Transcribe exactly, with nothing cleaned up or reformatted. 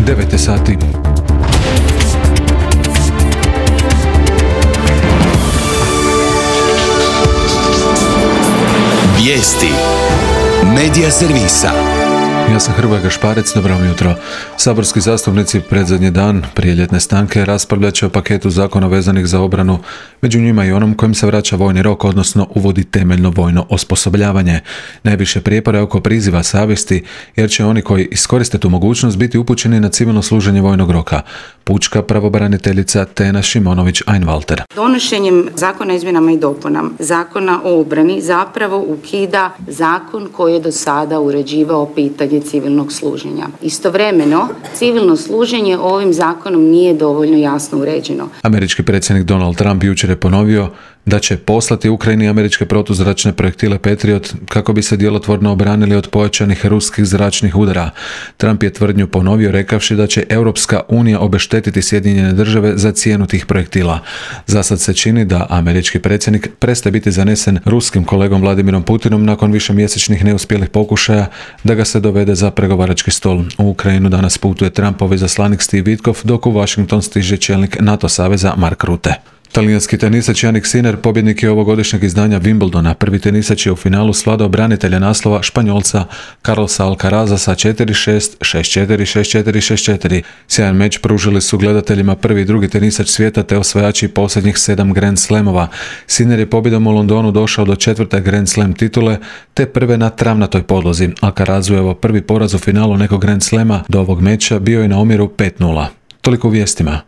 devet je sati. Vijesti Medija servisa. Ja sam Hrvoje Gašparec, dobro vam jutro. Saborski zastupnici predzadnji dan prije ljetne stanke raspravljat će o paketu zakona vezanih za obranu, među njima i onom kojim se vraća vojni rok, odnosno uvodi temeljno vojno osposobljavanje. Najviše prijepora je oko priziva savjesti, jer će oni koji iskoriste tu mogućnost biti upućeni na civilno služenje vojnog roka. Pučka pravobraniteljica Tena Šimonović-Einwalter. Donošenjem zakona o izmjenama i dopunama Zakona o obrani zapravo ukida zakon koji je do sada uređivao pitanje civilnog služenja. Istovremeno, civilno služenje ovim zakonom nije dovoljno jasno uređeno. Američki predsjednik Donald Trump jučer je ponovio da će poslati Ukrajini američke protuzračne projektile Patriot kako bi se djelotvorno obranili od pojačanih ruskih zračnih udara. Trump je tvrdnju ponovio rekavši da će Europska unija obeštetiti Sjedinjene države za cijenu tih projektila. Zasad se čini da američki predsjednik prestaje biti zanesen ruskim kolegom Vladimirom Putinom nakon višemjesečnih neuspjelih pokušaja da ga se dovede za pregovarački stol. U Ukrajinu danas putuje Trumpov izaslanik Steve Witkoff, dok u Washington stiže čelnik NATO saveza Mark Rutte. Talijanski tenisač Jannik Sinner pobjednik je ovogodišnjeg izdanja Wimbledona. Prvi tenisač je u finalu svladao branitelja naslova Španjolca Carlosa Alcaraza sa četiri šest, šest četiri, šest četiri, šest četiri. Sjajan meč pružili su gledateljima prvi i drugi tenisač svijeta te osvajači posljednjih sedam Grand Slamova. Sinner je pobjedom u Londonu došao do četvrte Grand Slam titule te prve na travnatoj podlozi. Alcarazu je ovo prvi poraz u finalu nekog Grand Slama do ovog meča bio je na omjeru pet nula. Toliko u vijestima.